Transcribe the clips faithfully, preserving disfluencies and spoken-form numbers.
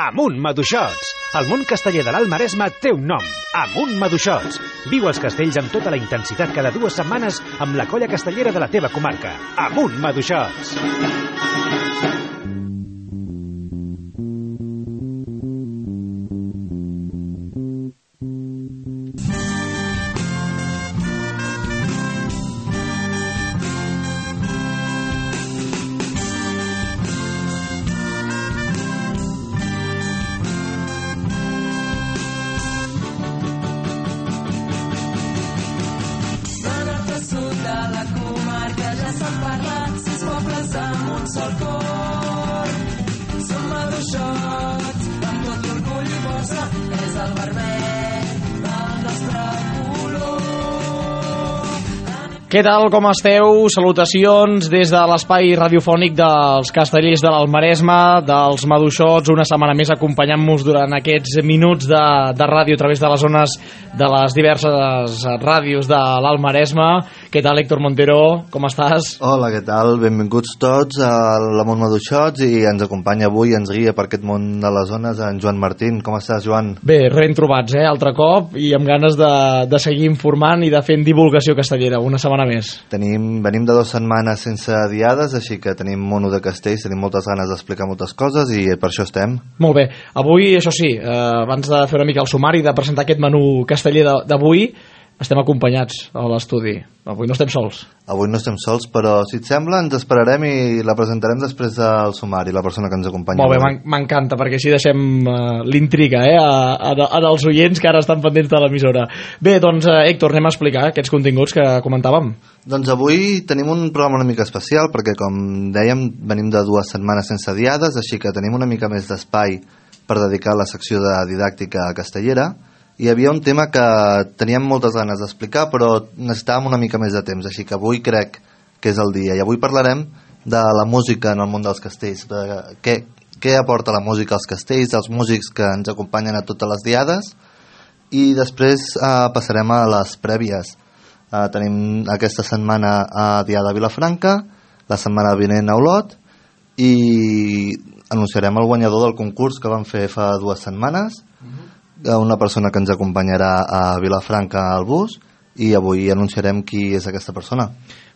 Amunt Maduixots! El món casteller de l'Alt Maresme té un nom, Amunt Maduixots. Viu els castells amb tota la intensitat cada dues setmanes amb la colla castellera de la teva comarca. Amunt Maduixots! Què tal, com esteu? Salutacions des de l'espai radiofònic dels castellers de l'Alt Maresme, dels Maduixots, una setmana més acompanyant-nos durant aquests minuts de, de ràdio a través de les zones de les diverses ràdios de l'Alt Maresme. Què tal, Héctor Montero? Com estàs? Hola, què tal? Benvinguts tots a l'Amunt Maduixots, i ens acompanya avui, ens guia per aquest món de les zones en Joan Martín. Com estàs, Joan? Bé, ben trobats, eh? Altre cop, i amb ganes de, de seguir informant i de fer divulgació castellera, una setmana més. Tenim, venim de dues setmanes sense diades, així que tenim mono de castells, tenim moltes ganes d'explicar moltes coses i per això estem. Molt bé. Avui, això sí, eh, abans de fer una mica el sumari, de presentar aquest menú casteller d'avui, estem acompanyats a l'estudi. Avui no estem sols. Avui no estem sols, però si et sembla ens esperarem i la presentarem després del sumari, la persona que ens acompanya. Molt bé, m'encanta, perquè així deixem uh, l'intriga eh, a, a, a dels oients que ara estan pendents de l'emissora. Bé, doncs, uh, Héctor, anem a explicar aquests continguts que comentàvem. Doncs avui tenim un programa una mica especial, perquè com dèiem, venim de dues setmanes sense diades, així que tenim una mica més d'espai per dedicar a la secció de didàctica castellera. Hi havia un tema que teníem moltes ganes d'explicar, però necessitàvem una mica més de temps, així que avui crec que és el dia. I avui parlarem de la música en el món dels castells, de què, què aporta la música als castells, dels músics que ens acompanyen a totes les diades, i després eh, passarem a les prèvies. Eh, tenim aquesta setmana a Diada Vilafranca, la setmana vinent a Olot, i anunciarem el guanyador del concurs que vam fer fa dues setmanes, una persona que ens acompanyarà a Vilafranca al bus, i avui anunciarem qui és aquesta persona.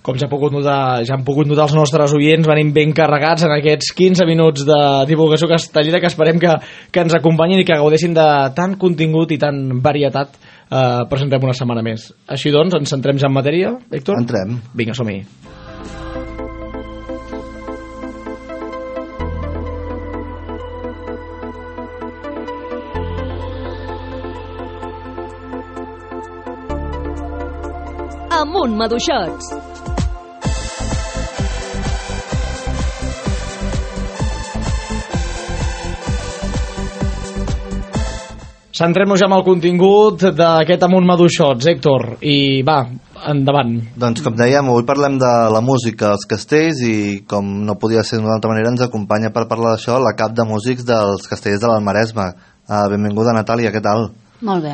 Com ja, pogut notar, ja han pogut notar els nostres oients, venim ben carregats en aquests quinze minuts de divulgació castellera, que esperem que, que ens acompanyin i que gaudeixin de tant contingut i tant varietat. Eh, presentem una setmana més. Així doncs, ens centrem ja en matèria, Héctor? Entrem. Vinga, som-hi. Amunt Maduixots! Centrem-nos ja amb el contingut d'aquest Amunt Maduixots, Héctor, i va, endavant. Doncs com dèiem, avui parlem de la música als castells, i com no podia ser d'una altra manera ens acompanya per parlar d'això la cap de músics dels castellers de l'Alt Maresme. Uh, benvinguda, Natàlia, què tal? Molt bé.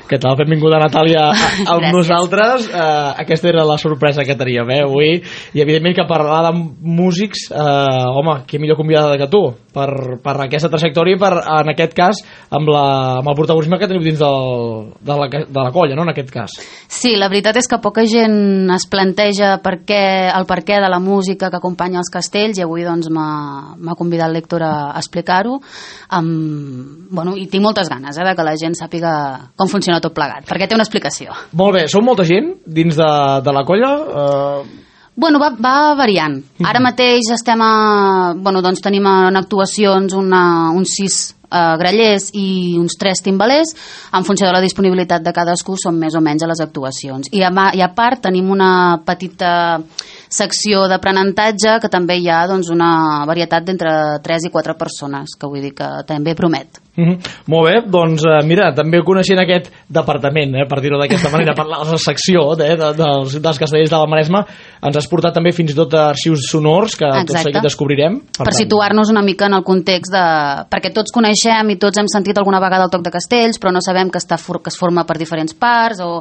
Què tal? Benvinguda, Natàlia, amb nosaltres. Uh, aquesta era la sorpresa que teníem, eh, avui. I, evidentment, que parlar de músics, uh, home, que millor convidada que tu, per, per aquesta trajectòria, per, en aquest cas, amb, la, amb el protagonisme que teniu dins del, de, la, de la colla, no?, en aquest cas. Sí, la veritat és que poca gent es planteja per què, el perquè de la música que acompanya els castells, i avui doncs m'ha convidat l'Héctor a, a explicar-ho. Um, bueno, i tinc moltes ganes eh, de que la gent sàpiga com funciona tot plegat, perquè té una explicació. Molt bé, sou molta gent dins de, de la colla? Uh... Bueno, va, va variant. Ara mateix estem a... Bueno, doncs tenim en actuacions una, uns sis uh, grallers i uns tres timbalers. En funció de la disponibilitat de cadascú són més o menys a les actuacions. I a, i a part tenim una petita secció d'aprenentatge que també hi ha doncs, una varietat d'entre tres i quatre persones, que vull dir que també promet. Mm-hmm. Molt bé, doncs uh, mira, també coneixent aquest departament, eh, per dir-ho d'aquesta manera, per la secció eh, de, dels, dels castellers de la Maresma, ens has portat també fins i tot arxius sonors que Exacte. Tot seguit descobrirem. Per, per situar-nos una mica en el context de... perquè tots coneixem i tots hem sentit alguna vegada el toc de castells, però no sabem que, està for... que es forma per diferents parts o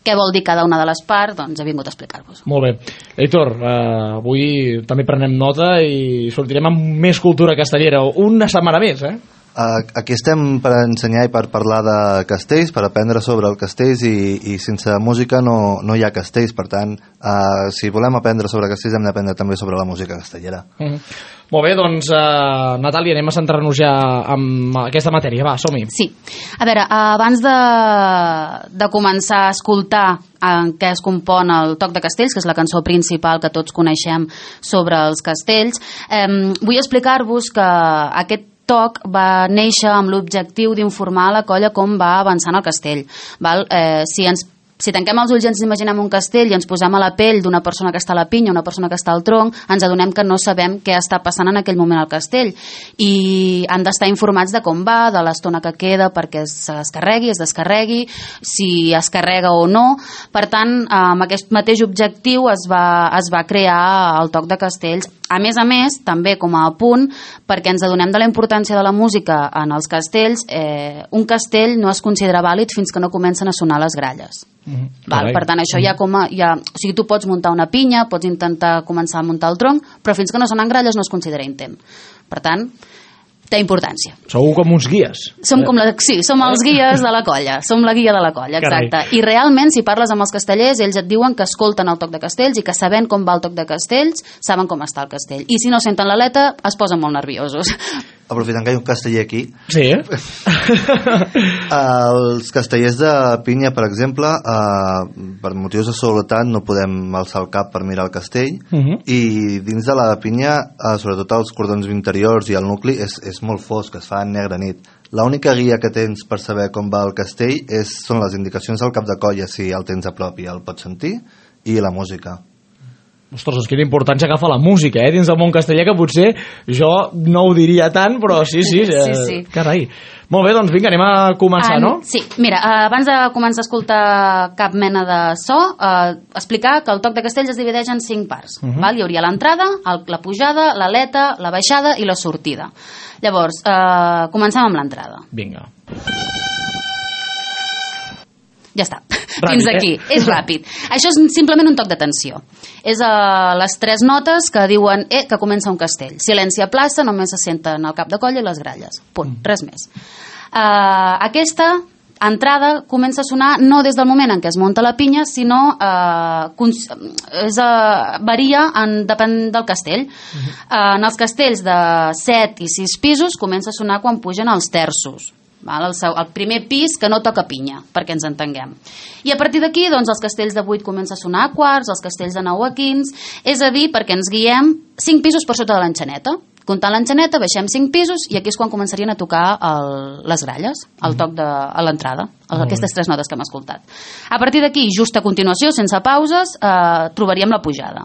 què vol dir cada una de les parts, doncs he vingut a explicar-vos. Molt bé. Héctor, uh, avui també prenem nota i sortirem amb més cultura castellera, una setmana més, eh? Aquí estem per ensenyar i per parlar de castells, per aprendre sobre els castells i, i sense música no, no hi ha castells, per tant, uh, si volem aprendre sobre castells hem d'aprendre també sobre la música castellera. Mm. Molt bé, doncs, uh, Natàlia, anem a centrar-nos ja en aquesta matèria, va, som-hi. Sí, a veure, abans de, de començar a escoltar en què es compon el Toc de Castells, que és la cançó principal que tots coneixem sobre els castells, eh, vull explicar-vos que aquest toc va néixer amb l'objectiu d'informar la colla com va avançant el castell. Val? Eh, si ens Si tanquem els ulls i ens imaginem un castell i ens posem a la pell d'una persona que està a la pinya, una persona que està al tronc, ens adonem que no sabem què està passant en aquell moment al castell. I han d'estar informats de com va, de l'estona que queda perquè es carregui, es descarregui, si es carrega o no. Per tant, amb aquest mateix objectiu es va, es va crear el Toc de Castells. A més a més, també com a apunt, perquè ens adonem de la importància de la música en els castells, eh, un castell no es considera vàlid fins que no comencen a sonar les gralles. Mm-hmm. Val? Per tant, això ja com a, ja, o sigui, tu pots muntar una pinya, pots intentar començar a muntar el tronc, però fins que no sonen gralles no es considera intent. Per tant, té importància. Sou com uns guies. Som com la, sí, som els guies de la colla. Som la guia de la colla, exacte. Carai. I realment, si parles amb els castellers, ells et diuen que escolten el Toc de Castells i que sabent com va el Toc de Castells, saben com està el castell. I si no senten l'aleta, es posen molt nerviosos. Aprofitant que hi ha un casteller aquí. Sí. Els castellers de pinya, per exemple, eh, per motius de seguretat no podem alçar el cap per mirar el castell, uh-huh. i dins de la pinya, eh, sobretot els cordons interiors i el nucli, és, és molt fosc, es fa en negra nit. L'única guia que tens per saber com va el castell és, són les indicacions del cap de colla, si el tens a prop i el pots sentir, i la música. Ostres, doncs quina importància agafa la música, eh, dins del món casteller, que potser jo no ho diria tant, però sí, sí, eh, sí, sí. Carai. Molt bé, doncs vinga, anem a començar, ah, no? Sí, mira, abans de començar a escoltar cap mena de so, eh, explicar que el Toc de Castells es divideix en cinc parts. Uh-huh. Val? Hi hauria l'entrada, la pujada, l'aleta, la baixada i la sortida. Llavors, eh, comencem amb l'entrada. Vinga. Ja està, Ràpid, fins aquí, eh? és ràpid. Això és simplement un toc d'atenció. És uh, les tres notes que diuen eh, que comença un castell. Silenci a plaça, només se senten el cap de colla i les gralles. Punt, res més. Uh, aquesta entrada comença a sonar no des del moment en què es munta la pinya, sinó uh, és, uh, varia en, depèn del castell. Uh-huh. Uh, en els castells de set i sis pisos comença a sonar quan pugen els terços. Val? El, seu, el primer pis que no toca pinya, perquè ens entenguem. I a partir d'aquí, doncs, els castells de vuit comença a sonar a quarts, els castells de nou a quins, és a dir, perquè ens guiem cinc pisos per sota de l'enxaneta. Comptant l'enxaneta, baixem cinc pisos i aquí és quan començarien a tocar el, les gralles, el toc de, a l'entrada, aquestes tres notes que hem escoltat. A partir d'aquí, just a continuació, sense pauses, eh, trobaríem la pujada.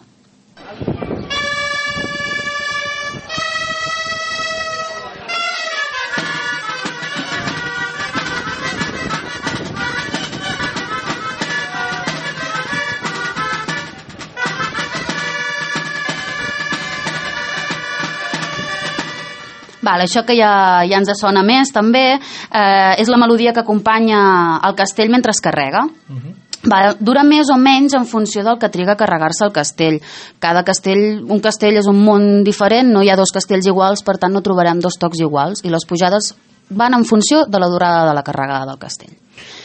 Val, això que ja, ja ens sona més també eh, és la melodia que acompanya el castell mentre es carrega. Uh-huh. Val, dura més o menys en funció del que triga a carregar-se el castell. Cada castell, un castell és un món diferent, no hi ha dos castells iguals, per tant no trobarem dos tocs iguals, i les pujades van en funció de la durada de la carregada del castell.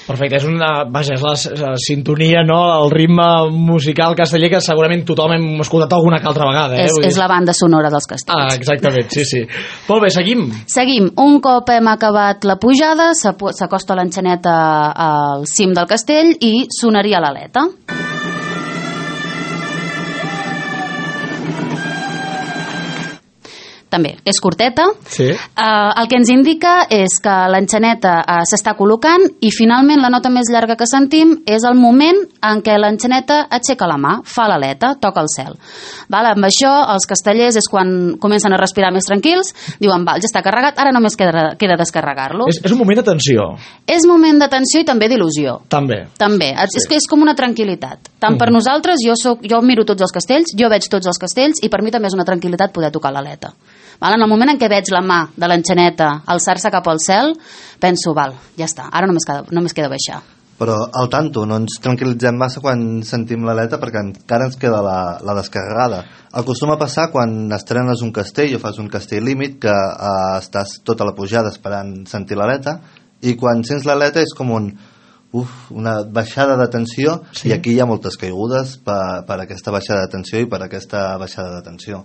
Perfecte, és una, vaja, és la, la sintonia, no?, el ritme musical casteller que segurament tothom hem escoltat alguna que altra vegada. Eh? És, és la banda sonora dels castells. Ah, exactament, sí, sí. Molt bé, seguim. Seguim. Un cop hem acabat la pujada, s'acosta l'enxaneta al cim del castell i sonaria l'aleta. També és curteta. Sí. Uh, el que ens indica és que l'enxaneta uh, s'està col·locant i finalment la nota més llarga que sentim és el moment en què l'enxaneta aixeca la mà, fa l'aleta, toca el cel. Val? Amb això els castellers és quan comencen a respirar més tranquils, diuen, val, ja està carregat, ara només queda, queda descarregar-lo. És, és un moment d'atenció. És moment d'atenció i també d'il·lusió. També. També. Sí. És que és com una tranquil·litat. Tant mm. per nosaltres, jo, soc, jo miro tots els castells, jo veig tots els castells i per mi també és una tranquil·litat poder tocar l'aleta. Val? En el moment en què veig la mà de l'enxaneta alçar-se cap al cel, penso, val, ja està, ara només queda, només queda baixar. Però al tanto, no ens tranquil·litzem massa quan sentim l'aleta perquè encara ens queda la, la descarregada. Acostuma a passar quan estrenes un castell o fas un castell límit que eh, estàs tota la pujada esperant sentir l'aleta i quan sents l'aleta és com un, uf, una baixada de tensió, sí. I aquí hi ha moltes caigudes per, per aquesta baixada de tensió i per aquesta baixada de tensió.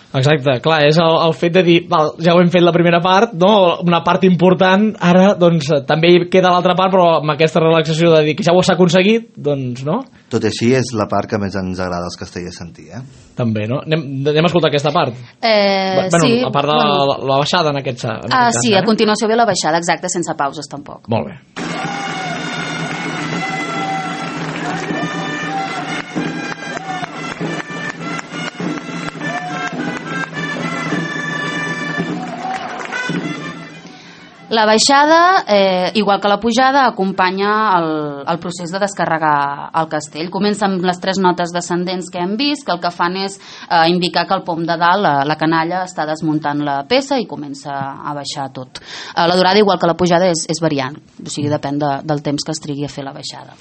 Exacte, clar, és el, el fet de dir val, ja ho hem fet la primera part, no? Una part important, ara doncs també queda l'altra part, però amb aquesta relaxació de dir que ja ho s'ha aconseguit, doncs no? Tot i així és la part que més ens agrada als castellers sentir, eh? També, no? Anem, anem a escoltar aquesta part. Eh, bueno, sí, a part de bueno. la, la baixada en aquest, en aquest ah, cas. Sí, eh? a continuació ve la baixada, exacte, sense pauses tampoc. Molt bé. La baixada, eh, igual que la pujada, acompanya el, el procés de descarregar el castell. Comença amb les tres notes descendents que hem vist, que el que fan és eh, indicar que el pom de dalt, la, la canalla, està desmuntant la peça i comença a baixar tot. Eh, la durada, igual que la pujada, és, és variant, o sigui, depèn de, del temps que es trigui a fer la baixada.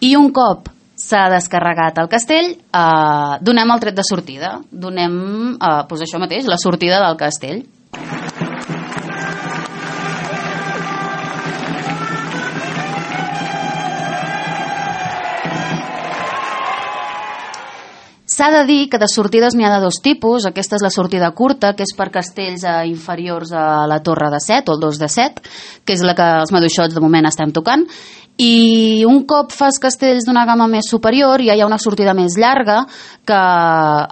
I un cop s'ha descarregat el castell, eh, donem el tret de sortida. Donem, eh, doncs això mateix, la sortida del castell. S'ha de dir que de sortides n'hi ha de dos tipus. Aquesta és la sortida curta, que és per castells eh, inferiors a la torre de set o el dos de set, que és la que els maduixots de moment estem tocant. I un cop fas castells d'una gamma més superior ja hi ha una sortida més llarga que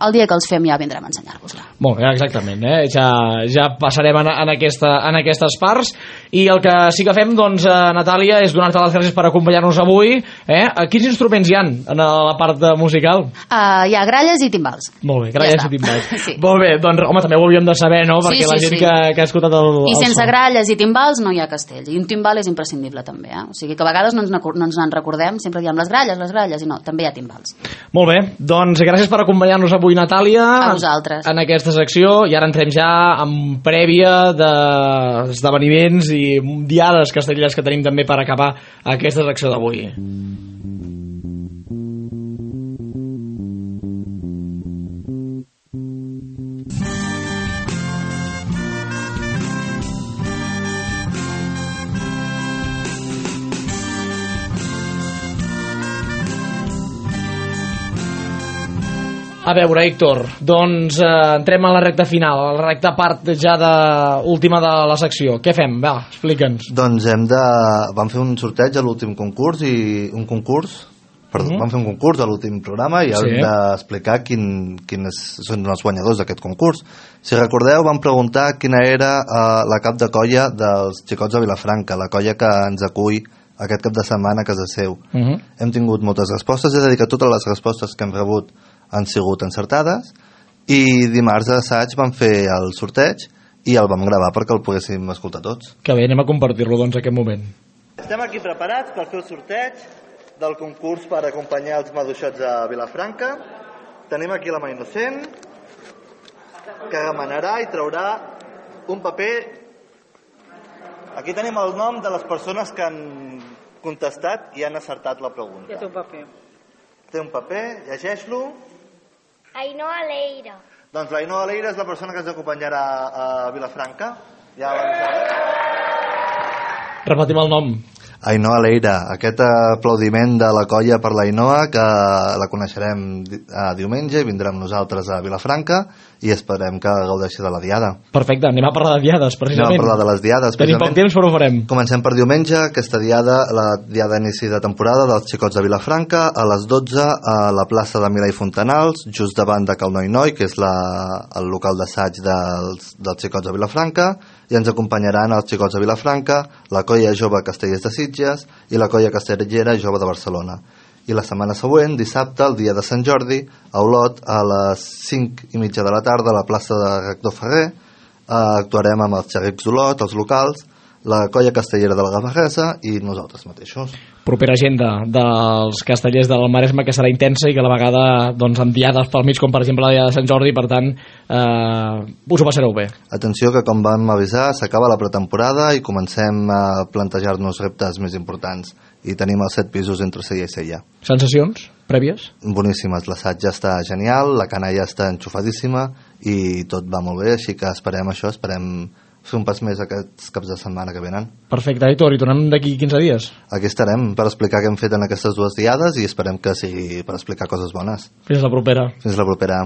el dia que els fem ja vindrem a ensenyar-vos-la. Molt bé, exactament, eh? ja, ja passarem en, en, aquesta, en aquestes parts i el que sí que fem, doncs, eh, Natàlia, és donar-te les gràcies per acompanyar-nos avui. Eh? Quins instruments hi ha en la part musical? Uh, hi ha gralles i timbals. Molt bé, gralles ja i timbals. Sí. Molt bé, doncs home, també ho hauríem de saber, no? Perquè sí, sí, la gent sí. que, que ha escoltat el, el I sense son. gralles i timbals no hi ha castell. I un timbal és imprescindible també, eh? O sigui que a vegades no ens, no ens en recordem, sempre diem les gralles, les gralles, i no, també hi ha timbals. Molt bé, doncs gràcies per acompanyar-nos avui, Natàlia. A vosaltres. En aquesta secció, i ara entrem ja amb prèvia d'esdeveniments i diades castelleres que tenim també per acabar aquesta secció d'avui. A veure, Héctor, doncs eh, entrem a la recta final, a la recta part ja de, última de la secció. Què fem? Va, explica'ns. Doncs hem de... vam fer un sorteig a l'últim concurs i un concurs... Perdó, mm. vam fer un concurs a l'últim programa i hem sí. d'explicar quin, quins són els guanyadors d'aquest concurs. Si recordeu, vam preguntar quina era eh, la cap de colla dels Xicots de Vilafranca, la colla que ens acull aquest cap de setmana a casa seu. Mm -hmm. Hem tingut moltes respostes, és a dir, que totes les respostes que hem rebut han sigut encertades i dimarts a assaig vam fer el sorteig i el vam gravar perquè el poguéssim escoltar tots. Que bé, anem a compartir-lo doncs en aquest moment. Estem aquí preparats per fer el sorteig del concurs per acompanyar els maduixots a Vilafranca. Tenim aquí la mà innocent que remenarà i traurà un paper. Aquí tenim el nom de les persones que han contestat i han acertat la pregunta. Ja té un paper. Té un paper, llegeix-lo. Ainhoa Leira. Doncs l'Ainhoa Leira és la persona que ens acompanyarà a Vilafranca. Ja l'avisaré. Repetim el nom. Ainhoa Leira, aquest aplaudiment de la colla per l'Ainhoa, que la coneixerem a diumenge i vindrà amb nosaltres a Vilafranca i esperem que gaudeixi de la diada. Perfecte, anem a parlar de diades, precisament. Anem a parlar de les diades. Tenim poc temps, però ho farem. Comencem per diumenge, aquesta diada, la diada d'inici de temporada dels Xicots de Vilafranca, a les dotze a la plaça de Milà i Fontanals, just davant de Cal Noi Noi, que és la, el local d'assaig dels, dels Xicots de Vilafranca, i ens acompanyaran els Xicots de Vilafranca, la colla jove Castellers de Sitges i la colla castellera jove de Barcelona. I la setmana següent, dissabte, el dia de Sant Jordi, a Olot, a les cinc i mitja de la tarda, a la plaça de Rector Ferrer, eh, actuarem amb els xerrics d'Olot, els locals, la colla castellera de la Gavarresa i nosaltres mateixos. Propera agenda dels castellers del Maresme, que serà intensa i que a la vegada doncs, amb diades pel mig, com per exemple la diada de Sant Jordi, per tant eh, us ho passareu bé. Atenció que, com vam avisar, s'acaba la pretemporada i comencem a plantejar-nos reptes més importants i tenim els set pisos entre Sella i Sella. Sensacions prèvies? Boníssimes, l'assaig ja està genial, la cana ja està enxufadíssima i tot va molt bé, així que esperem això, esperem fer un pas més aquests caps de setmana que venen. Perfecte, Aitor, i tornem d'aquí quinze dies? Aquí estarem per explicar què hem fet en aquestes dues diades i esperem que sigui per explicar coses bones. Fins la propera. Fins la propera.